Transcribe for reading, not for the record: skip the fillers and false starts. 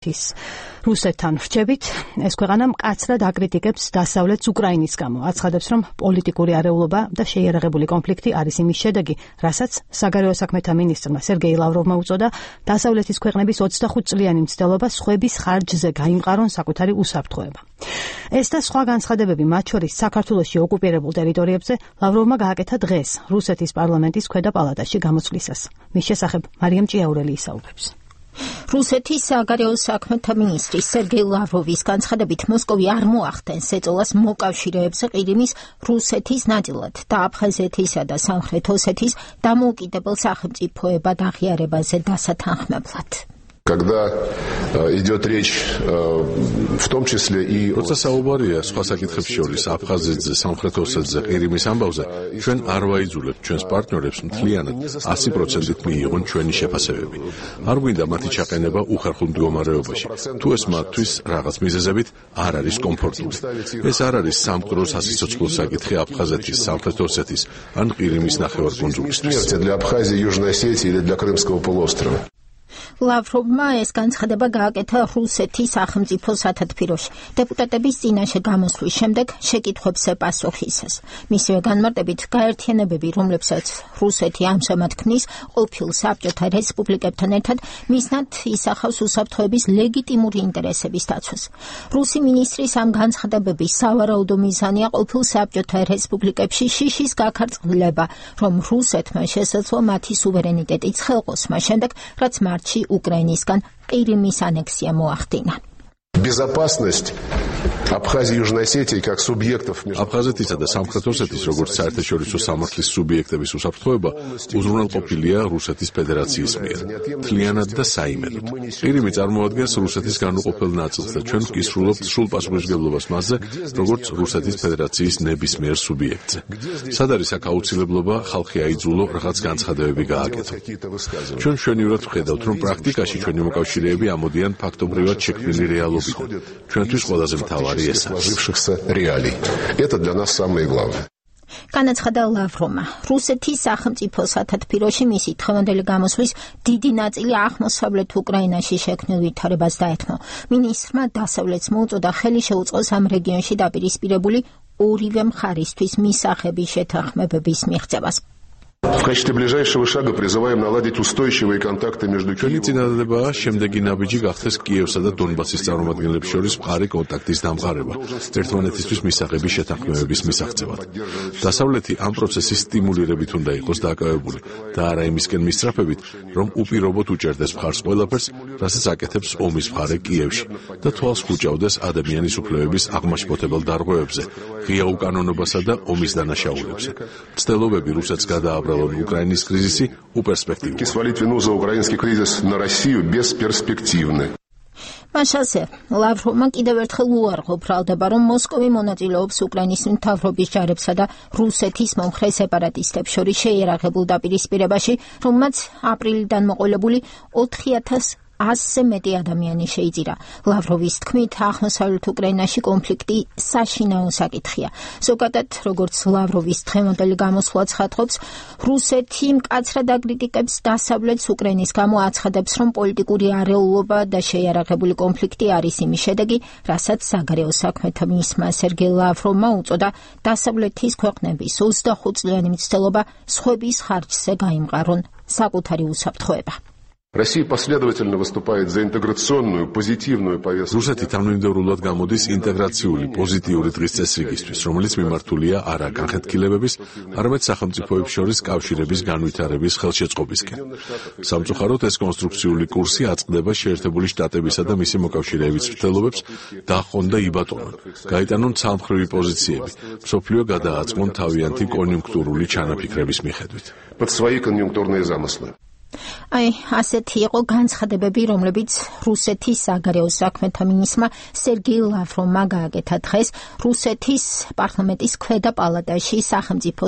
რუსეთთან რჩებით, ეს ქვეყანა მკაცრად აკრიტიკებს დასავლეთს უკრაინის გამო. აცხადებს, რომ პოლიტიკური არეულობა და შეიარაღებული კონფლიქტი არის იმის შედეგი, რასაც საგარეო საქმეთა მინისტრმა სერგეი ლავროვმა უწოდა დასავლეთის ქვეყნების 25 წლიანი მცდელობა სხვების ხარჯზე გაიმყარონ საკუთარი უსაფრთხოება. ეს და სხვა განცხადებები, მათ შორის საქართველოში ოკუპირებულ ტერიტორიებზე, ლავროვმა გააკეთა დღეს რუსეთის პარლამენტის ქვედა პალატაში გამოცვლისას. მის შესახებ მარიამ ჭიაურელი ისაუბრებს. რუსეთის საგარეო საქმეთა მინისტრის სერგეი ლავროვის განცხადებით, მოსკოვი არ მოახდენს ეწოლას მოკავშირეებს ყირიმის რუსეთის ნაწილად და აფხაზეთისა და სამხრეთ ოსეთის დამოუკიდებელ სახელმწიფოებად აღიარებაზე დასათანხმებლად. Когда идет речь в том числе и როცა საუბარია სხვა საკითხებს შორის აფხაზეთზე, სამხრეთ ოსეთზე, ყირიმის ამბავზე, ჩვენ არ ვაიძულებთ ჩვენს პარტნიორებს მთლიანად 100%-ით მიიღონ ჩვენი შეფასებები. არ გვინდა მათი ჩაყენება უხერხულ მდგომარეობაში. თუ ეს მათთვის რაღაც მიზეზებით არ არის კომფორტული. ეს არ არის სამყარო სასიცოცხლო საკითხი აფხაზეთის, სამხრეთ ოსეთის ან ყირიმის ნახევარკუნძულისთვის. для Абхазии, Южной Осетии или для Крымского полуострова. ლავროვმა ეს განცხადება გააკეთა რუსეთის სახელმწიფო სათათბიროში. დეპუტატების წინაშე გამოსვლის შემდეგ შეკითხვებს ეპასუხისას. მისივე განმარტებით, გაერთიანებები, რომლებსაც რუსეთი ამჟამად ქმნის, ყოფილ საბჭოთა რესპუბლიკებთან ერთად, მისნად ისახავს უსაფრთხოების ლეგიტიმური ინტერესების დაცვას. რუსი მინისტრის ამ განცხადებების სავარაუდო მიზანია ყოფილ საბჭოთა რესპუბლიკებში შიშის გაქარწყლება, რომ რუსეთმა შესაძლოა მათი სუვერენიტეტი ცხელყოს მას შემდეგ, რაც მარტში უკრაინისგან ყირიმის ანექსია მოახდინა. Безопасность Абхазии и Южной Осетии как субъектов აფხაზეთისა და სამხრეთ ოსეთის როგორც საერთაშორისო სამართლის სუბიექტების უსაფრთხოება უზრუნველყოფილია რუსეთის ფედერაციის მიერ, მთლიანად და საიმედოდ. ყირიმი წარმოადგენს რუსეთის განუყოფელ ნაწილს და ჩვენ ვკისრულობთ სრულ პასუხისმგებლობას მასზე, როგორც რუსეთის ფედერაციის ნებისმიერ სუბიექტზე. სად არის აქ აუცილებლობა ხალხი აიძულო რაღაც განცხადებები გააკეთო. ჩვენ მშვენივრად ვხედავთ, რომ პრაქტიკაში ჩვენი მოკავშირეები ამოდიან ფაქტობრივად შექმნილი რეალობიდან. ჩვენთვის ყველაზე მთავარი сложившихся реалий. Это для нас самое главное. განაცხადა ლავროვმა, რუსეთის სახელმწიფო სათათბიროში მისი დღევანდელი გამოსვლის დიდი ნაწილი აღმოსავლეთ უკრაინაში შექმნილ ვითარებას დაეთმო. მინისტრმა დასავლეთს მოუწოდა ხელი შეუწყოს ამ რეგიონში დაპირისპირებული ორივე მხარისთვის მისაღები შეთანხმებების მიღწევას. В качестве ближайшего шага призываем наладить устойчивые контакты между ჩვენი წინადადებაა შემდეგი ნაბიჯი გახდეს კიევსა და დონბასის წარმომადგენლებს შორის მხარი კონტაქტის დამყარება, ერთმანეთისთვის მისაღების შეთანხმებების მისაღწევად. დასავლეთი ამ პროცესის სტიმულირებით უნდა იყოს დაკავებული და არა იმისკენ მისწრაფებით, რომ უპირობოდ უჭერდეს მხარს ყველაფერს, რასაც აკეთებს ომის მხარე კიევში და თვალს ხუჭავდეს ადამიანის უფლებების აღმაშფოთებელ დარღვევებზე, ღია უკანონობასა და ომის დანაშაულებზე. მცდელობები რუსეთს გადააბრალონ უკრაინის კრიზისი უპერსპექტიულია. Свалить вину за украинский кризис на Россию бесперспективно. მაშასე, ლავროვმა კიდევ ერთხელ უარყო ბრალდება, რომ მოსკოვი მონაწილეობს უკრაინის მთავრობის ჯარებსა და რუსეთის მომხრე სეპარატისტებს შორის შეიარაღებულ დაპირისპირებაში, რომელმაც აპრილიდან მოყოლებული 4100-ზე მეტი ადამიანი შეიძირა. ლავროვის თქმით, აღმოსავლეთ უკრაინაში კონფლიქტი საშინაო საკითხია. ზოგადად, როგორც ლავროვის დღევანდელი გამოსვლა ცხადყოფს, რუსეთი მკაცრად აკრიტიკებს დასავლეთს უკრაინის გამო, აცხადებს, რომ პოლიტიკური არეულობა და შეიარაღებული კონფლიქტი არის იმის შედეგი, რასაც საგარეო საქმეთა მინისტრმა სერგეი ლავროვმა უწოდა დასავლეთის ქვეყნების 25 წლიანი მცდელობა სხვების ხარჯზე გაიმყარონ საკუთარი უსაფრთხოება. Россия последовательно выступает за интеграционную, позитивную повестку. რუსეთი თანმიმდევრულად გამოდის ინტეგრაციული, პოზიტიური დღის წესრიგისთვის, რომელიც მიმართულია არა განხეთქილებების, არამედ სახელმწიფოებს შორის კავშირების განვითარების ხელშეწყობისკენ. სამწუხაროდ, ეს კონსტრუქციული კურსი აწყდება შეერთებული შტატებისა და მისი მოკავშირეების მცდელობებს დაჰყონ და იბატონონ, გაიტანონ ცალმხრივი პოზიციები, მსოფლიო გადააწყონ თავიანთი კონიუნქტურული ჩანაფიქრების მიხედვით. Под свои конъюнктурные замыслы. ასეთი იყო განცხადებები, რომლებიც რუსეთის საგარეო საქმეთა მინისტრმა სერგეი ლავროვმა გააკეთა დღეს რუსეთის პარლამენტის ქვედა პალატაში სახელმწიფო